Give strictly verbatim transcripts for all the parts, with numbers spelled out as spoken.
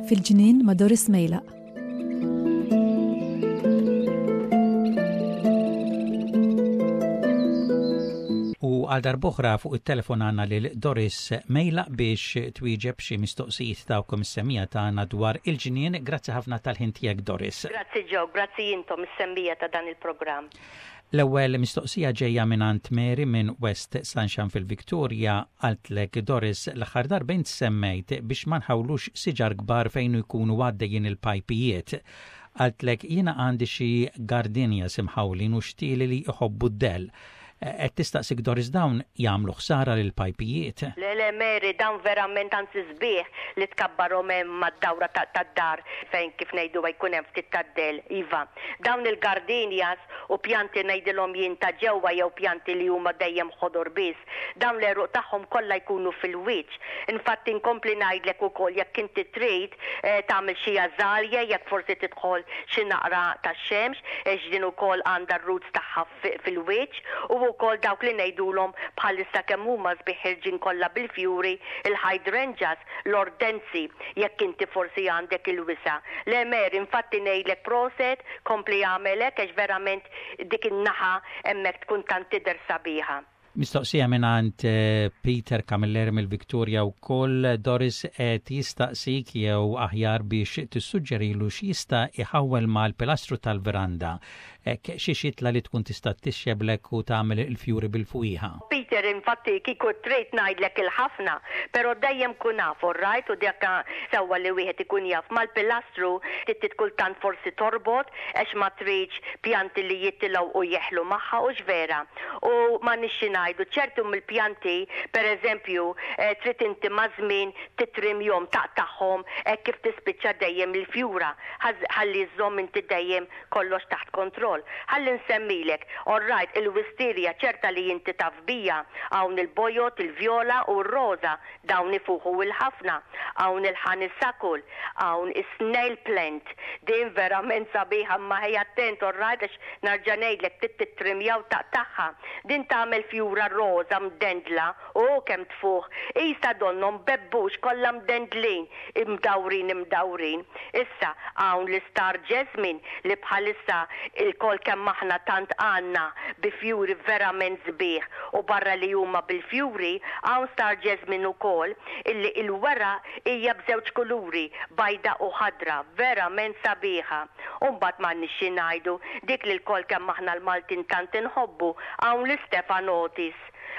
Fil-ġnien ma' Doris Mejlaq. U għal darb'oħra fuq it-telefon għandna lil Doris Mejlaq biex twieġeb xi mistoqsijiet tagħkom is-semmiegħa tagħna dwar il-ġnien. Grazzi ħafna tal-ħin tiegħek, Doris. Grazzi Joe, grazzi intom is-semmiegħa ta' dan il-programm. L-ewwel mistoqsija ġejja minn għand Mary minn West Sunshine fil-Victoria. Qaltlek, Doris, l-aħħar darba int semmejt biex ma nħawlux siġar kbar fejn jkunu għaddejjin il-pajpijiet. Qaltlek, jiena għandi xi gardenias imħawlin u xtieli li jħobbu d-dell. Qed tistaqsik, Doris, dawn jagħmlu ħsara lil pajpijiet? Le, le, Mary, dawn verament anzi sbieħ li tkabbarhom hemm mad-dawra tad-dar fejn, kif ngħidu, jkun hemm ftit tad-dell. Iva, dawn il-gardenias u pjanti, ngħidilhom jien, ta' ġewwa jew pjanti li huma dejjem ħodor biss, dawn l-għeruq tagħhom kollha jkunu fil-wiċċ. Infatti nkompli ngħidlek ukoll, jekk inti trid eh, tagħmel xi azalea, jekk forsi tidħol xi naqra tax-xemx, għax din ukoll għandha r-roots tagħha fil-wiċċ, u wkoll dawk li ngħidulhom bħalissa kemm huma sbieħ ħerġin kollha bil-fjuri, il-hydrangeas, l-ortensi, jekk inti forsi għandek il-wisa'. Le Mary, infatti ngħidlek proset, kompli agħmel hekk għax verament dik in-naħa hemmhekk tkun tant tidher sabiħa. Mistoqsija minn eh, Peter Camilleri mill-Victoria wkoll, Doris. Qed jistaqsik jew aħjar biex tissuġġerilu x'jista' iħawwel mal-pilastru tal-veranda. Xi xitla li tkun tista' tixxeblek u tagħmel il-fjuri bil-fwieħa. Peter, infatti kieku trid ngħidlek il-ħafna, però dejjem kun naf, right, u dak sewwa li wieħed ikun jaf mal-pilastru trid kultant forsi torbot għax ma tridx pjanti li jitilgħu u jeħlu magħha, u vera. U ma nixxi ngħidu ċertu mill-pjanti, per eżempju, eh, trid inti maż-żmien titrimjahom, taqtagħhom hekk kif tispiċċa dejjem il-fjura, ħalli żżomm inti dejjem kollox taħt kontroll. Ħalli nsemmilek, all right, il-wisteria ċerta li inti taf biha, hawn il-bojod, il-vjola u r-roza, dawn ifuħu il-ħafna, hawn il-honeysuckle, hawn il-snail plant, din verament sabiħa, ma ħej attent, all right, għax nerġa' ngħidlek trid titrimja u taqtagħha. Din tagħmel fjura roza mdendla, u kemm tfuħ, isa donnhom bebbux kollha mdendlin, imdawrin imdawrin. Issa hawn l-star jasmine li bħalissa ilkoll kemm aħna tant għandna bi fjuri verament sbieħ, u barra li huma bil-fjuri hawn star jasmine ukoll illi il-weraq hija b'żewġ kuluri, bajda u ħadra, verament sabiħa. U mbagħad m'għandniex xi ngħidu dik li lkoll kemm aħna l-Maltin tant inħobbu, hawn l-Stephanotis.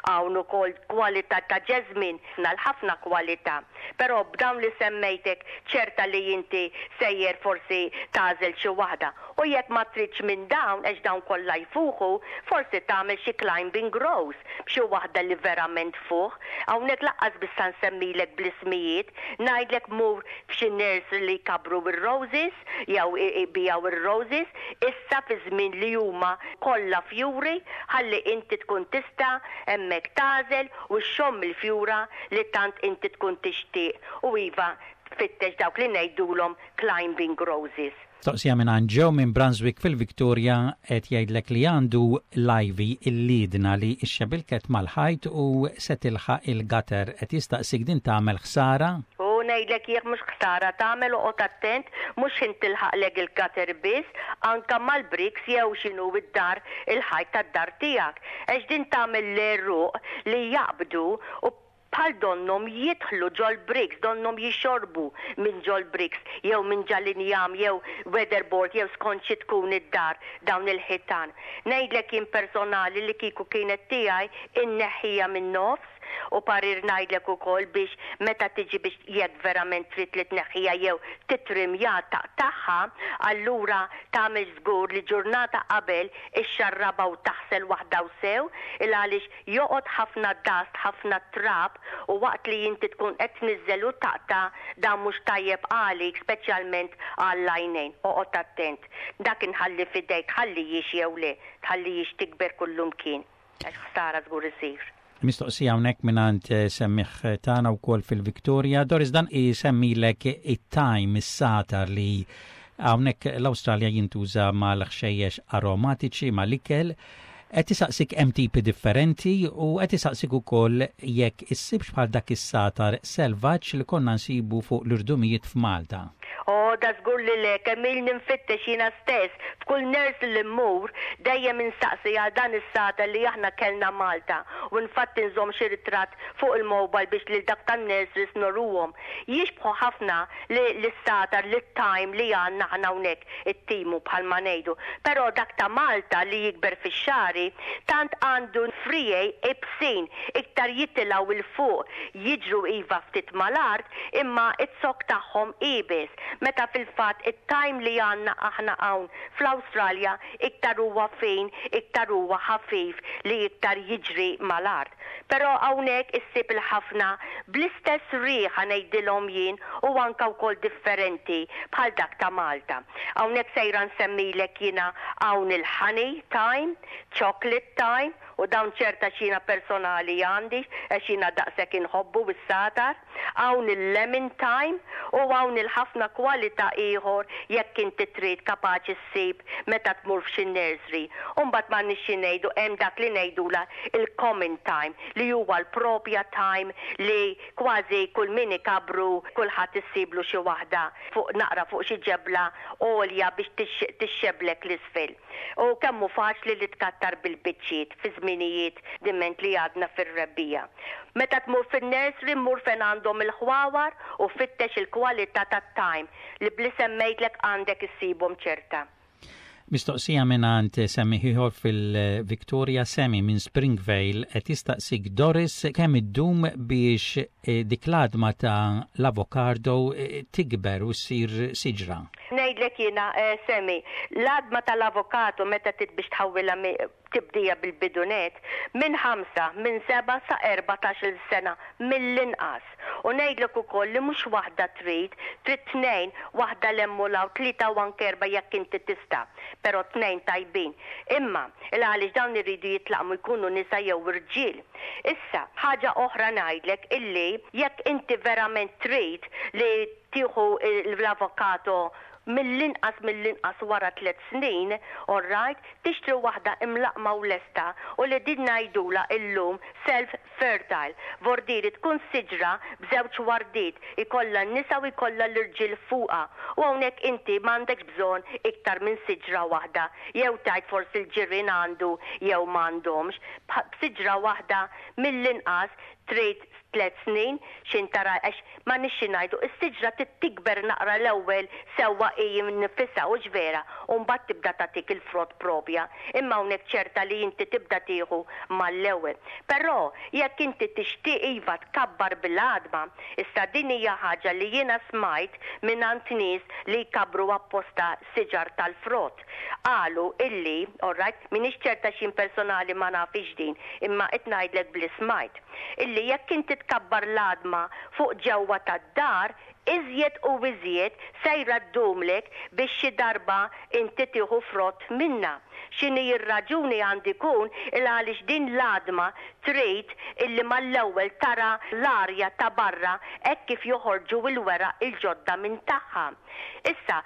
Hawn ukoll kwalità ta' jasmine, ħafna kwalità. Però b'dawn li semmejtek ċerta li inti sejjer forsi tagħżel xi waħda. U jekk ma tridx minn dawn, għax dawn kollha jfuħu, forsi tagħmel xi climbing rose b'xi waħda li verament tfuħ. Hawnhekk lanqas biss nsemmilek bl-ismijiet, ngħidlek mur f'xi nursery li jkabru ir-roses jew ibigħu ir-roses, issa fi żmien li huma kollha fjuri, ħalli inti tkun tista' hemmhekk tagħżel u xxomm il-fjura li tant inti tkun tixtieq, u iva, tfittex dawk li ngħidulhom climbing roses. Mistoqsija minn Joe minn Brunswick fil-Victoria. Qed jgħidlek li għandu l-ivy, il-liedna, li xxebilket mal-ħajt u se tilħaq il-gutter. Qed jistaqsik, din tagħmel ħsara? U ngħidlek jekk mhux ħsara tagħmel, oqgħod attent mhux ħin tilħaqlek il-gutter biss, anka mal-bricks jew x'inhu id-dar, il-ħajt tad-dar tiegħek. Għax din tagħmel l-għeruq li jaqbdu u bħal donnhom jidħlu ġol bricks, donnhom jixorbu minn ġol bricks jew minn ġal-injam jew weatherboard jew skont xi tkun id-dar, dawn il-ħitan. Ngħidlek jien personali li kieku kienet tiegħi inneħħija minn nofs, u parir ngħidlek ukoll biex meta tiġi biex, jekk verament trid li tneħħija jew titrimja, taqtagħha, allura tagħmel żgur li ġurnata qabel ixxarraba u taħsel waħda u sew, il għaliex joqgħod ħafna dust, ħafna trab, u waqt li inti tkun qed tniżżel u taqta' dan mhux tajjeb għalik, speċjalment għall-għajnejn. Oqgħod attent. Dak inħalli f'idejk, tħallihiex jew le, tħallihiex tikber kullumkien. Għax ħsara żgur isir. Mistoqsija hawnhekk mingħand eh, semmiegħ tagħna wkoll fil-Victoria. Doris, dan isemmilek it-thyme, is-sagħtar, li Hawnhekk l-Awstralja jintuża mal-ħxejjex aromatiċi mal-ikel. Qed isaqsik hemm tipi differenti u qed isaqsik ukoll jekk issibx bħal dak is-satar selvaġġ li konna nsibu fuq l-irdumijiet f'Malta. O, da żgur li le, kemm ilni nfittex jiena stess, f'kull nursery li mmur, dejjem insaqsi għal dan is-satar li aħna kellna Malta. U infatti nżomm xi ritratt fuq il-mobile biex lil dak tan-nurseries nuruhom. Jixbħu ħafna li l-satar li thyme li għandna aħna hawnhekk it-timu bħalma ngħidu. Però dak ta' Malta li jikber fix-xagħri tant għandu friegħi ibsin, iktar jitilgħu 'il fuq, jiġru iva ftit mal-art, imma iz-zokk tagħhom iebes. Meta fil-fatt it-thyme li għandna aħna hawn fl-Awstralja iktar huwa fin, iktar huwa ħafif li iktar jiġri mal-art. Però hawnhekk issib il-ħafna bl-istess riħa ngħidilhom jien u anka wkoll differenti bħal dak ta' Malta. Hawnhekk sejra nsemmilek jiena hawn il-honey thyme, chocolate thyme, u dawn ċerta xina personali għandi, għax jiena daqshekk inħobbu is-satar, hawn il-lemon thyme u hawn il-ħafna kwalità ieħor jekk inti trid kapaċi ssib meta tmur f'xi nursery. U mbagħad m'għandniex xi ngħidu hemm dak li ngħidula il-common thyme li huwa l-propja thyme li kważi kull min ikabru kulħadd issiblu xi waħda fuq naqra fuq xi ġebla għolja biex tixxeblek l-isfel. U kemm hu faċli li tkattar bil-biċċiet fi żminijiet diment li għadna fir-rebbiegħa. Meta tmur fin-nursery mur fejn għandhom il-ħwawar u fittex il-kwalità tat-thyme li bli semmejtlek għandek issibhom ċerta. Mistoqsija mingħand semmiegħ ieħor fil-Victoria Semi minn Springvale qed jistaqsik Doris kemm iddum biex eh, dik l-għadma ta' l-avokado eh, tikber u ssir siġra. Ngħidlek jiena eh, Semi, l-għadma tal-avokado meta trid biex tħawwilha tibdija bil-bidunet minn ħamsa, minn seba sa erbatax-il sena mill-inqas. U ngħidlek ukoll li mhux waħda trid, trid tnejn, waħda 'l hemm u 'l hawn, tlieta u anke erba' jekk inti tista', però tnejn tajbin. Imma il għaliex dawn iridu jitlaqmu jkunu nisa jew irġiel. Issa, ħaġa oħra ngħidlek illi jekk inti verament trid li tieħu l-avokado mill-inqas mill-inqas wara tliet snin, all right, tixtri waħda imlaqma u lesta u li din ngħidula illum self-fertile. Vordiri tkun siġra b'żewġ wardiet, ikollha n-nisa u jkollha l-irġiel fuqha. U hawnhekk inti m'għandekx bżonn iktar minn siġra waħda, jew tgħid forsi l-ġirien għandu jew m'għandhomx. B'siġra waħda mill-inqas trid tliet snin xin tara għax ma nixxi ngħidu is-siġra tikber naqra l-ewwel sewwa hi nfisha u vera u mbagħad tibda tagħtik il-frott propja imma hawnhekk ċerta li inti tibda tieħu mal-ewwel. Però jekk inti tixtieq iva tkabbar bil-għadma, issa din hija ħaġa li jiena smajt mingħand nies li jkabru apposta siġar tal-frott. Qalu illi, all right, m'iniex ċerta x'in personali ma nafix din, imma qed ngħidlek bli smajt illi jekk inti tkabbar l-għadma fuq ġewwa tad-dar, iżjed u iżjed sejra ddumlek biex xi darba inti tieħu frott minna. X'inhi r-raġuni għandi jkun il għaliex din l-għadma trid illi mal-ewwel tara l-arja ta' barra hekk kif joħorġu l-weraq il-ġodda minn tagħha. Issa,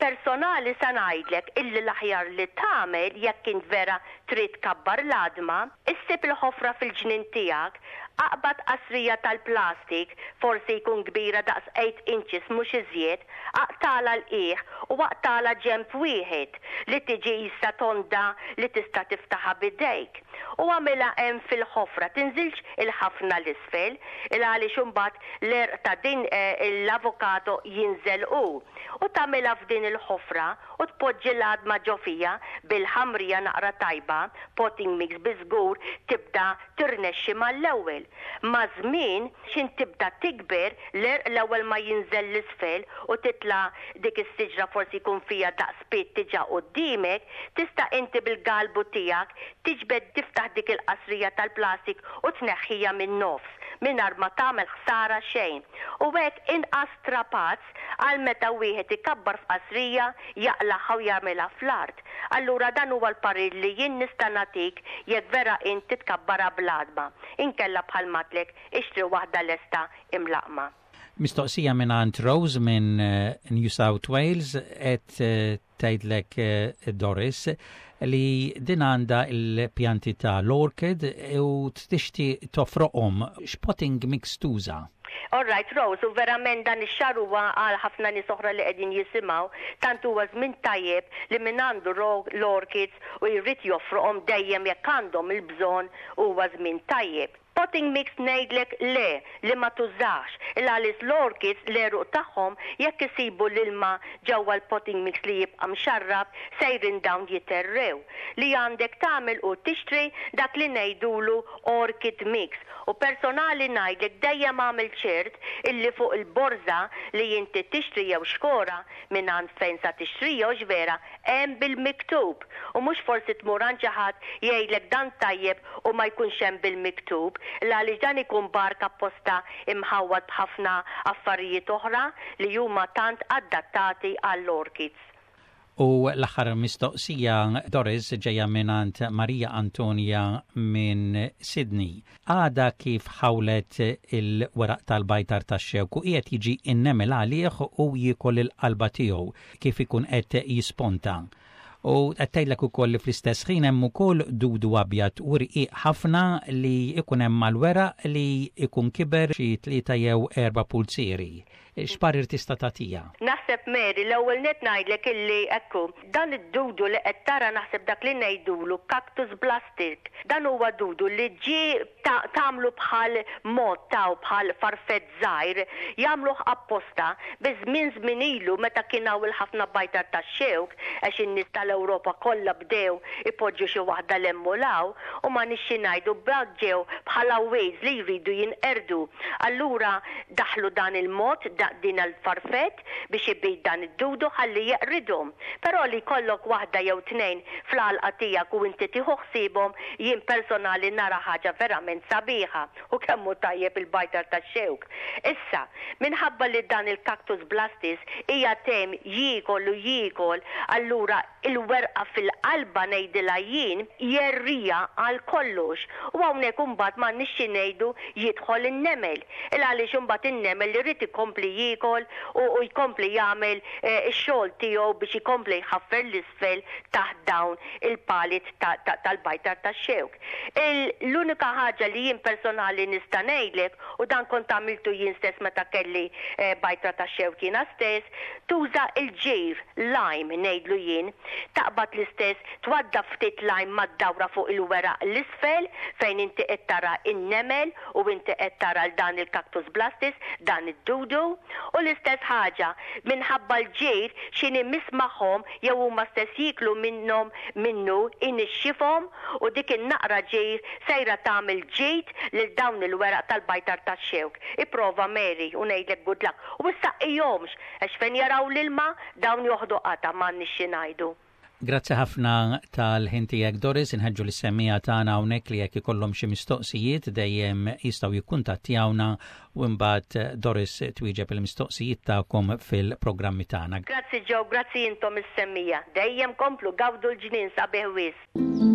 personali sa ngħidlek illi l-aħjar li tagħmel jekk int vera trid tkabbar l-għadma, issib il-ħofra fil-ġnien tiegħek, aqbad qasrija tal-plastik, forsi jkun kbira daqs eight inches mhux iżjed, aqtagħlha l-qiegħ u aqtagħlha ġenb wieħed li tiġi issa tonda li tista' tiftaħha bidejk. U għamilha hemm fil-ħofra, tinżilx il-ħafna l-isfel, il għaliex imbagħad l-għerq ta' din l-avokado jinżel hu. U tagħmilha f'din il-ħofra u tpoġġi l-għadma ġo fiha bil-ħamrija naqra tajba, potting mix biżgur tibda tirnexxi mal-ewwel. Ma' żmien xin tibda tikber l-għerq l-ewwel ma jinżel l-isfel u titla' dik is-siġra forsi jkun fiha daqs pied diġà quddiemek, tista' inti bil-galbu tiegħek tiġbed tiftaħ dik il-qasrija tal-plastik u tneħħija min-nofs mingħajr ma tagħmel ħsara xejn. U hekk inqas strapazz għal meta wieħed ikabbar f'qasrija jaqlagħha u jagħmilha fl-art. Allura dan huwa l-parir li jien nista' nagħtik jekk vera inti tkabbarha bl-għadma. Inkella bħal matlek ixtri waħda lesta imlaqma. Mistoqsija minn Rose minn eh, New South Wales, qed eh, tgħidlek eh, Doris li din għandha il-pjanti ta' l-orchid u tixtieq tofroqhom. X'potting mix tuża? All right, Rose, u verament dan ix-xahar huwa għal ħafna nies oħra li qegħdin jisimgħu, tant huwa żmien tajjeb li min għandu l-orchids u jrid jofroqhom, dejjem jekk għandhom il-bżonn, huwa żmien tajjeb. Potting mix ngħidlek le, li ma tużax, il għalis l-orchids, l-għeruq tagħhom, jekk isibu l-ilma ġewwa l-potting mix li jibqa' mxarrab, sejrin dawn jitherrew. Li għandek tagħmel u tixtri dak li ngħidulu orchid mix. U personali ngħidlek, dejjem għamel ċert illi fuq il-borza li inti tixtri jew xkora minn għand fejn sa tixtri jew vera hemm bil-miktub. U mhux forsi tmur għand xi ħadd, jgħidlek dan tajjeb u ma jkunx hemm bil-miktub, għaliex dan ikun bark apposta imħawwad b'ħafna affarijiet oħra li huma tant adattati għall-orchids. U l-aħħar mistoqsija, Doris, ġejja minn Maria Antonia minn Sydney. Għada kif ħawlet il-weraq tal-bajtar tax-xewk u qiegħed jiġi innemel għalih u jiekol il-qalba tiegħu kif ikun qed jisponta. U qed tgħidlek ukoll li fl-istess ħin hemm ukoll dudu abjad u rqiq ħafna li ikun hemm mal-weraq li ikun kiber xi tlieta jew erba' pulzieri. X'parir tista' tagħtiha? Naħseb, Mary, l-ewwel net ngħidlek illi ekku, dan id-dudu li qed tara, naħseb dak li ngħidulu cactus blastic. Dan huwa dudu li ġie tagħmlu bħal mod taw bħal farfett żgħir, jagħmluh apposta biż-żmien, żmien ilu meta kien hawn il-ħafna bajtar tax-xewk, għax in-nies tal-Ewropa kollha bdew ipoġġu xi waħda l-emmulaw u ma nixxi ngħidu ġew bħala weeds li jridu jinqerdu. Allura daħlu dan il-mod, din il-farfett biex ibid dan id-dudu ħalli jeqridhom. Però li jkollok waħda jew tnejn fl-għalqa tiegħek u inti tieħu ħsiebhom, jien personali nara ħaġa verament sabiħa u kemm hu tajjeb il-bajtar tax-xewk. Issa, minħabba li dan il-cactus blastis hija tem jiekol u jiekol, allura il-werqa fil-qalba, ngħidilha jien, jerrija għal kollox. U hawnhekk imbagħad ma nixxi ngħidu jidħol in-nemel. Il għaliex imbagħad in-nemel li jrid ikompli jiekol u, u jkompli jagħmel eh, ix-xogħol tiegħu biex ikompli jħaffer l-isfel taħt dawn il-palit tal-bajtar tax-xewk. L-unika ħaġa li jien personali nista' ngħidlek, u dan kont għamiltu jien stess meta kelli eh, bajtra tax-xewk jiena stess, tuża il-ġir, lime ngħidlu jien, taqbad l-istess, twadda ftit lime mad-dawra fuq il-weraq l-isfel fejn inti qed tara in-nemel u inti qed tara l dan il-cactus blastis, dan id-dudu, u l-istess ħaġa minħabba l-ġir x'inhi mismaħom jew huma stess jiklu minnhom minnu, inixxifhom u dik in-naqra ġir sejra tagħmel ġid lil dawn il-weraq tal-bajtar tax-xewk. Ipprova, Mary, u ngħidlek good luck. U issaqqihomx, għax fejn jaraw l-ilma dawn joħdu qata, m'għandniex xi ngħidu. Grazzi ħafna tal-ħin tiegħek, Doris. Inħeġġu lis-semmiegħa tagħna hawnhekk li jekk ikollhom xi mistoqsijiet dejjem jistgħu jikkuntattjawna u mbagħad Doris twieġeb il-mistoqsijiet tagħkom fil-programmi tagħna. Grazzi Joe, grazzi intom is-semmiegħa. Dejjem komplu gawdu l-ġnien sabiħ wisq.